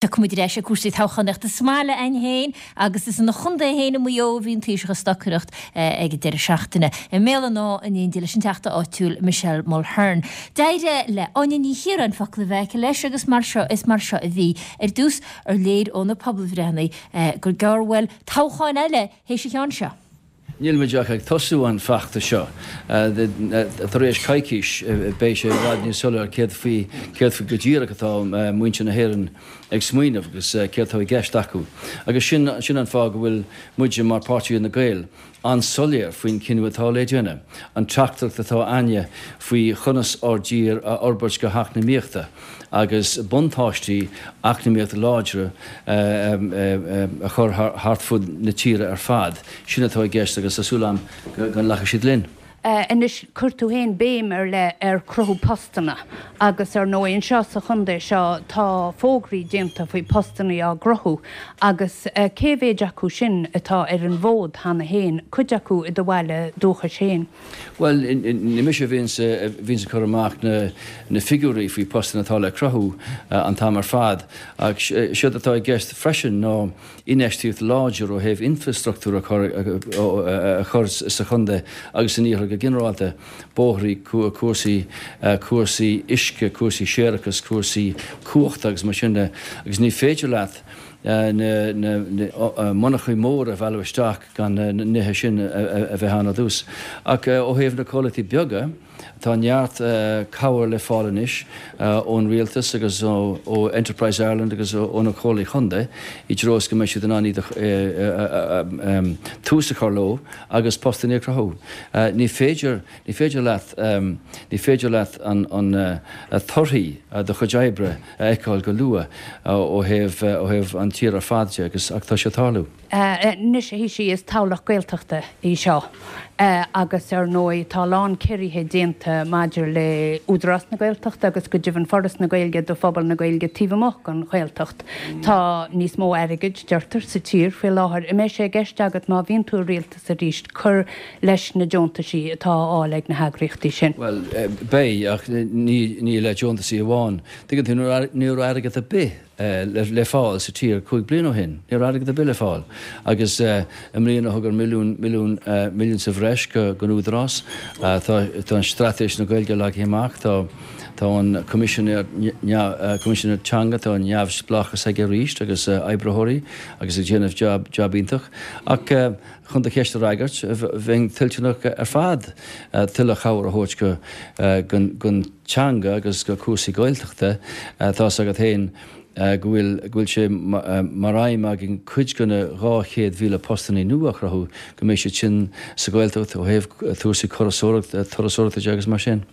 Tiocfaidh muid ar ais ag cúrsaí toghchánaíochta sa mbaile a'inn féin agus is ina chontae féin i Maigh Eo a bhí an Taoiseach ag stocaireacht ag an deireadh seachtaine. I mBéal an Átha in éindí leis an Teachta áitiúil Michelle Mulhern. D'éirigh le Áine Ní Chiaráin focal a bheith aici leis agus mar seo is mar seo a bhí. Ar dtús, ar léir ó na pobalbhreitheanna gur gearr uainn toghchán eile théis an cheann seo? Níl muid ach ag tosú an feachtas seo. Tar éis coicís beidh sé i bhfad níos soiléir céard faoi céard faoi go díreach atá muintir na hÉireann ag smaoineamh agus céard atá i gceist acu. Agus sin sin an fáth go bhfuil muide mar Páirtí Fhine Gael an-soiléir faoin cinneadh atá le déanamh, an teachtaireacht atá a'inne faoi chonas ár dtír a fhorbairt go heacnamaíochta agus buntáistí eacnamaíocht láidre a chur thart fud na tíre ar fad. Sin atá i gceist agus tá súil a'm go nglacfaidh siad linn. Anois, chuir tú féin béim ar leith ar chruthú postanna agus ar ndóigh anseo sa chontae seo tá fógraí déanta faoi postanna á gcruthú agus cé mhéid acu sin atá ar an bhfód cheana féin, cuid acu i do bhaile dúchais féin? Bhuel, ní mise a bhíonns ag cur amach na figiúirí faoi postanna atá le cruthú an t-am ar fad, ach séard atá i gceist freisin ná infheistíocht láidir ó thaobh infreastruchtúr a chur sa chontae agus san iarthar go ginearálta, bóithrí, cúrsaí, cúrsaí uisce, cúrsaí séarachais, cúrsaí cumhachta agus mar sin de. Agus ní féidir leat na monarchaí móra a mhealladh isteach gan na nithe sin a bheith ann ar dtús. Ach ó thaobh na comhlachtaí beaga, tá neart cabhair le fáil anois ón rialtas agus ó Enterprise Ireland agus ó na comhairlí chontae i dtreo is go mbeidh siad in ann iad a tús a chur leo agus postanna a chruthú. Ní féidir, ní féidir leat, ní féidir leat an torthaí do chuid oibre a fheiceáil go luath ó thaobh, ó thaobh an tír ar fad de agus, ach tá sé ag tarlú. Anois a Thaoisigh, is toghlach Gaeltachta í seo agus ar ndóigh tá a lán ciorruithe déanta maidir le Údarás na Gaeltachta agus go deimhin Foras na Gaeilge do phobal na Gaeilge taobh amuigh den Ghaeltacht. Tá níos mó airgid, deirtear, sa tír faoi láthair. An mbeidh sé i gceist agat má bhíonn tú i rialtas arís cur leis na deontaisí atá á fháil ag na heagraíochtaí sin? Bhuel, beidh, ach ní le deontaisí amháin. Tuigeann tú, ní raibh airgead ar bith le fáil sa tír 5 bliana ó shin. Ní raibh airgead ar bith le fáil. Agus i mbliana thugamar milliún, milliún, milliún sa bhreis don Údarás. Tá an Straitéis na Gaeilge leagtha amach, tá, tá an Coimisinéir, Coimisinéir Teanga, tá an neamhspleáchas aige arís agus oibritheoirí agus ag déanamh jab, jab iontach. Ach chun do cheist a fhreagairt, bheinn toilteanach ar fad tuilleadh cabhair a thabhairt go, don teanga agus go cúrsaí Gaeltachta, tá's agat féin go bhfuil, go bhfuil sé mar aidhm againn cuid de na 200,000 postannaí nua a chruthú, go mbeidh siad sin sa Ghaeltacht ó thaobh cúrsaí turasóireachta de agus mar sin.